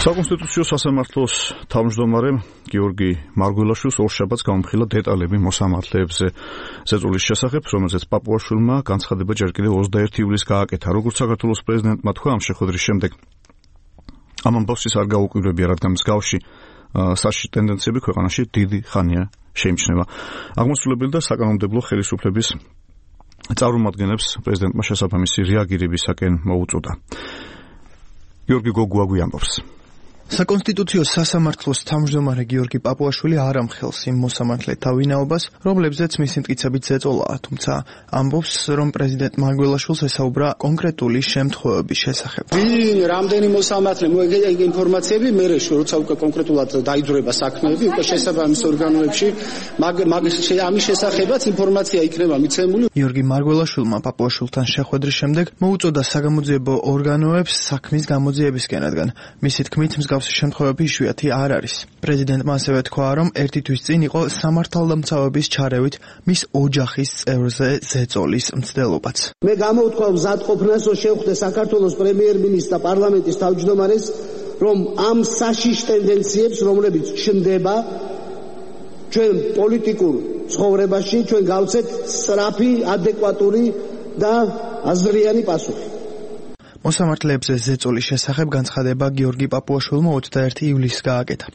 საკონსტიტუციო სასამართლოს თავმჯდომარემ გიორგი მარგველაშვილს ორშაბათს გამოფხილა დეტალები მოსამართლეებზე ზეწოლის შესახებ, რომელზეც პაპუაშვილმა განცხადება ჯერ კიდევ 21 ივლისს გააკეთა. როგორც საქართველოს პრეზიდენტმა თქვა, ამ შეხვედრის შემდეგ ამ ამბავსის არ გაუკვირვებია, რადგან მსგავსი საშიში ტენდენციები ქვეყანაში დიდი ხანია შეიმჩნევა. აღმასრულებელი და საკანონმდებლო ხელისუფლების წარმომადგენლებს პრეზიდენტმა შესაბამისი რეაგირებისაკენ მოუწოდა. გიორგი გოგუა გვიამბობს. საკონსტიტუციო სასამართლოს თავმჯდომარე გიორგი პაპუაშვილი არ ამხელს იმ მოსამართლეთა ვინაობას, რომლებზეც მისი მტკიცებით ზეწოლაა, თუმცა ამბობს, რომ პრეზიდენტ მარგველაშვილს ესაუბრა კონკრეტული შემთხვევების შესახებ. რამდენი მოსამართლე მოიგე ინფორმაციები, მე როცა უკვე კონკრეტულად დაიძრება საქმეები, უკვე შესაბამის ორგანოებში, ამის შესახებაც ინფორმაცია იქნება მიცემული. გიორგი მარგველაშვილმა პაპუაშვილთან შეხვედრის შემდეგ მოუწოდა საგამოძიებო ორგანოებს საქმის გამოძიებისკენ, რადგან მისი თქმით მსგავსი შემთხვევები იშვიათი არ არის. პრეზიდენტმა ასევე თქვა, რომ ერთი თვის წინ იყო სამართალდამცავების ჩარევით მის ოჯახის წევრზე ზეწოლის მცდელობაც. მე გამოვთქვა მზადყოფნას, რომ შევხვდე საქართველოს პრემიერ-მინისტრს და პარლამენტის თავმჯდომარეს, რომ ამ საშიშ ტენდენციებს, რომლებიც ჩნდება ჩვენ პოლიტიკურ ცხოვრებაში, ჩვენ გავცეთ სწრაფი, ადეკვატური და აზრიანი პასუხი. მოსამართლეებზე ზეწოლის შესახებ განცხადება გიორგი პაპუაშვილმა 21 ივლისს გააკეთა.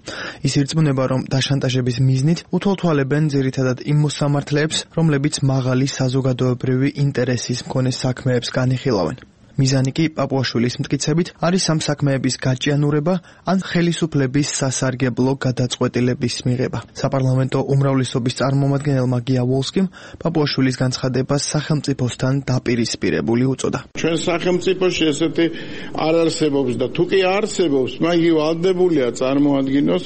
ის ირწმუნება, რომ დაშანტაჟების მიზნით უთვალთვალებენ ძირითადად იმ მოსამართლეებს, რომლებიც მაღალი საზოგადოებრივი ინტერესის მქონე საქმეებს განიხილავენ. მიზანი კი პაპუაშვილის მტკიცებით არის ამ საქმეების გაჭიანურება ან ხელისუფლების სასარგებლო გადაწყვეტილების მიღება. საპარლამენტო უმრავლესობის წარმომადგენელმა გია ვოლსკიმ პაპუაშვილის განცხადებას სახელმწიფოსთან დაპირისპირებული უწოდა. ჩვენ სახელმწიფოში ესეთი არ არსებობს და თუ კი არსებობს, მაგი ვალდებულია წარმოადგინოს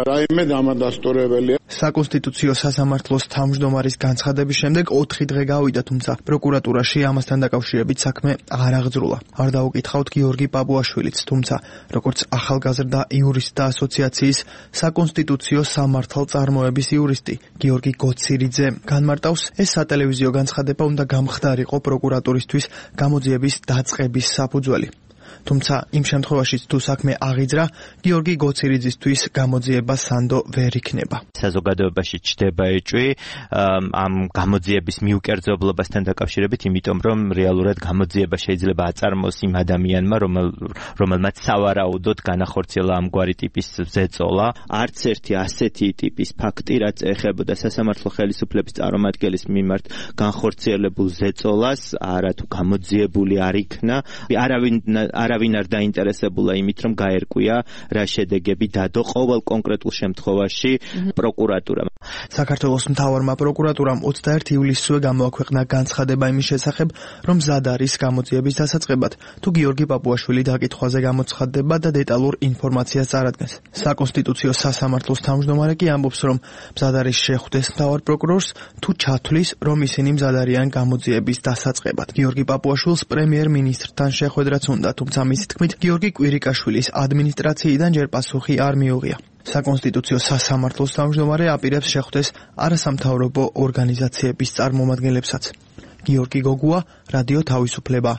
რაიმე დამადასტურებელია. საკონსტიტუციო სასამართლოს თავმჯდომარის განცხადების შემდეგ 4 დღე გავიდა, თუმცა პროკურატურაში ამასთან დაკავშირებით საქმე არ აღძრულა. არ დაუკითხავთ გიორგი პაპუაშვილიც, თუმცა როგორც ახალგაზრდა იურისტთა ასოციაციის საკონსტიტუციო სამართალწარმოების იურისტი გიორგი გოცირიძე განმარტავს, ეს სატელევიზიო განცხადება უნდა გამხდარიყო პროკურატურისთვის გამოძიების დაწყების საფუძველი. თუმცა იმ შემთხვევაშიც თუ საქმე აღიძრა, გიორგი გოცირიძისთვის გამოძიება სანდო ვერ იქნება. საზოგადოებაში ჩდება ეჭვი ამ გამოძიების მიუკერძებლობასთან დაკავშირებით, იმიტომ რომ რეალურად გამოძიება შეიძლება აწარმოოს იმ ადამიანმა, რომელმაც სავარაუდოდ განახორციელა ამგვარი ტიპის ზეწოლა. არც ერთი ასეთი ტიპის ფაქტი, რაც ეხებოდა სასამართლო ხელისუფლების წარმომადგენლის მიმართ განხორციელებულ ზეწოლას, არა თუ გამოძიებული არ იქნა. არავინ არ დაინტერესებულა იმით, რომ გაერკვია რა შედეგები დადო ყოველ კონკრეტულ შემთხვევაში პროკურატურამ. საქართველოს მთავარმა პროკურატურამ 21 ივლისსვე გამოაქვეყნა განცხადება იმის შესახებ, რომ მზად არის გამოძიების დასაწყებად, თუ გიორგი პაპუაშვილი დაკითხვაზე გამოცხადდება და დეტალურ ინფორმაციას წარადგენს. საკონსტიტუციო სასამართლოს თავმჯდომარე კი ამბობს, რომ მზად არის შეხვდეს მთავარ პროკურორს, თუ ჩათვლის, რომ ისინი მზად არიან გამოძიების დასაწყებად. გიორგი პაპუაშვილს პრემიერ-მინისტრთან შეხვედრაც უნდა, თუმცა მისი თქმით, გიორგი კვირიკაშვილის ადმინისტრაციიდან ჯერ პასუხი არ მიუღია. საკონსტიტუციო სასამართლოს თავმჯდომარე აპირებს შეხვდეს არასამთავრობო ორგანიზაციების წარმომადგენლებსაც. გიორგი გოგუა, რადიო თავისუფლება.